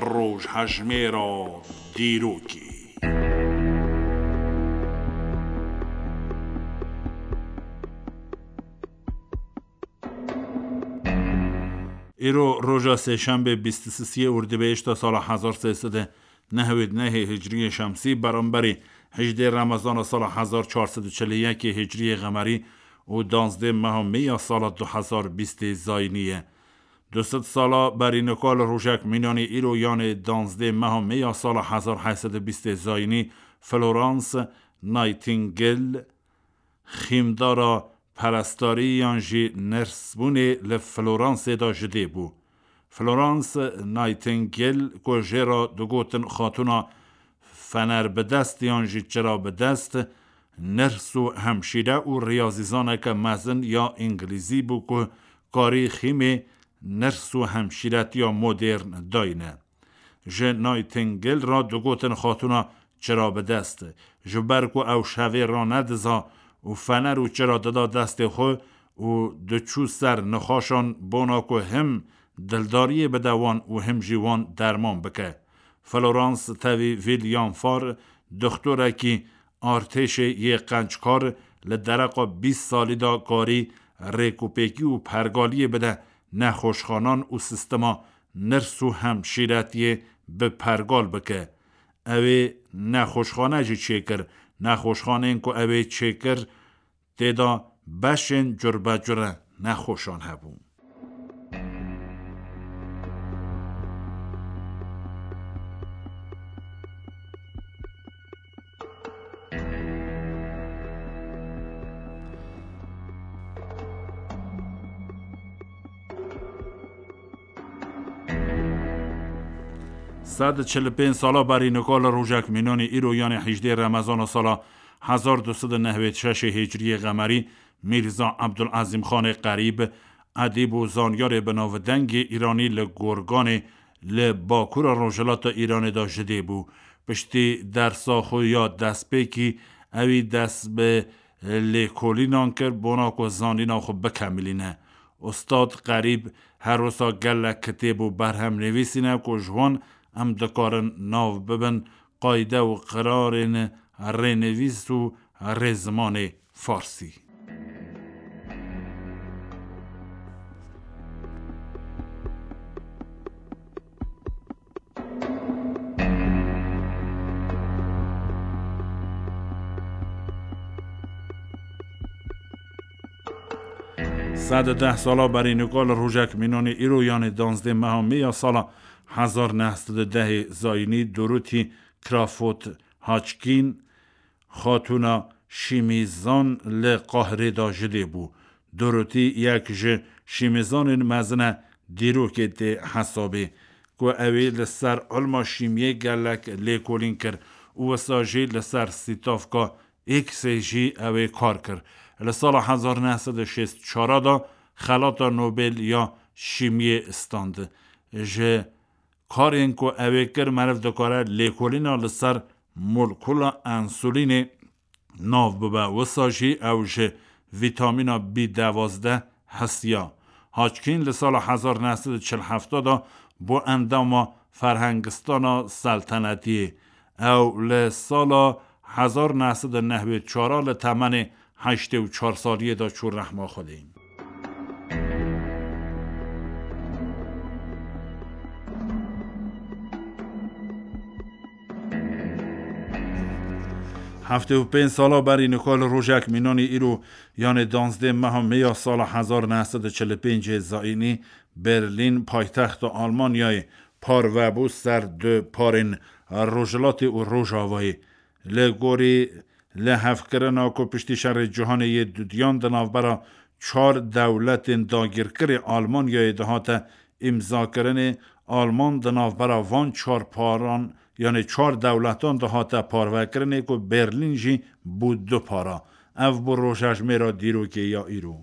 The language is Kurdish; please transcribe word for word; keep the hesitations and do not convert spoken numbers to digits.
Rojhejmêra dîrokê. Îro roja sêşembê bîst û sisiyê Urdibêşta sala hezar sê sed û nehwêd nehê Hicriyê Şemsî, beramberî hejdê Remezana sala hezar çar sed û çil û yekê Hicriyê Xemerî û danzdê meha Mê ya sala du hezar bîstê Zayînî ye. Du sed sala berî nika li rojek mînanî îro, yanê danzdê meha Mê ya sala hezar heyt sed û bîstê Zayînî, Florence Nightingale, xîmdara perestarî yan jî nersbûnê li Floransê de ji dê bû. Florence Nightingale, ku jê re digotin Xatûna Fenerbidest yan jî Çirabidest, ners û hemşîre û riyazîzaneke mezin ya îngilîzî bû ku karî xîmê ners û hemşîretiya modern dayne. Ji Nightingale re digotin Xatûna Çirabidest, ji ber ku ew şevê ranediza û fener û çira dida destê xwe û diçû ser nixaşan, bona ku him dildariyê bide wan û him jî wan derman bike. Florence tevî William Farr, doxtorekî artêşê yê qenckar, li dereqa bîst salî de karî rêkûpêkî û pergaliyê bide nexweşxanan û sîstema ners û hemşîretiyê bi pergal bike. Ew ê nexweşxane jî çêkir. Nexweşxaneyên ku ew ê çêkir, tê de beşên curbecure nexweşan hebû. Sed çil û pênc sala berî nika li rojek mînanî îro, yanê hejdê Remezana sala hezar du sed û nehwêd şeşê Hicriyê Xemerî, Mîrza Ebdulezîm Xanê Qerîb, edîb û zanyarê bi navdengê Îranî li Gorganê li bakura rojhilata Îranê de ji dê bû. Piştî dersa xwe ya destpêkî, ewî dest bi lêkolînan kir, bona ku zanîna xwe bikemilîne. Ustad Qerîb her wisa gelek kitêb û berhem nivîsîne ku ji wan em dikarin nav bibin qayde û qirarên rênivîs û rêzimanê farsî. Sed û deh sala berî nika li rojek mînanî îro, yanê danzdê meha Mê ya sala hezar neh sed û dehê Zayînî, Dorothy Crawford Hodgkin, Xatûna şîmîzan li Qahirê de ji dê bû. Dorothy yek ji şîmîzanên mezin e dîrokê tê hesabê, ku ew ê li ser ilma şîmiyê gelek lêkolîn kir û wisa jî li ser sîtavka X-ê jî ew ê kar kir. Li sala hezar neh sed û şêst û çar de xelata Nobel ya şîmiyê stand. Ji karên ku ew ê kir, meriv dikare lêkolîna li ser molekula ensulînê nav bibe. Wisa jî ew ji vîtamîna B duwazdeh hesiya. Hodgkin li sala hezar neh sed û çil heft de bû endama Ferhengistana Seltenetiyê. Ew li sala hezar neh sed û nehwêd û çar li temenê heştê û çar saliyê de çû rehma Xwedê. Heftê û pênc sala berî nika li rojek mînanî îro, yanê danzdê meha Mê ya sala hezar neh sed û çil û pêncê Zayînî, Berlîn, paytexta Almanyayê, parve bû ser du parên Rojhilatê û Rojavayê. Li gorî lihevkirina ku piştî Şerê Cîhanê yê Dudiyan di navbera çar dewletên dagîrkirê Almanyayê dihate îmzakirinê, Alman di navbera van çar paran, yanê çar dewletan dihate parvekirinê ku Berlîn jî bû du para. Ev bû rojhejmêra dîrokê ya îro.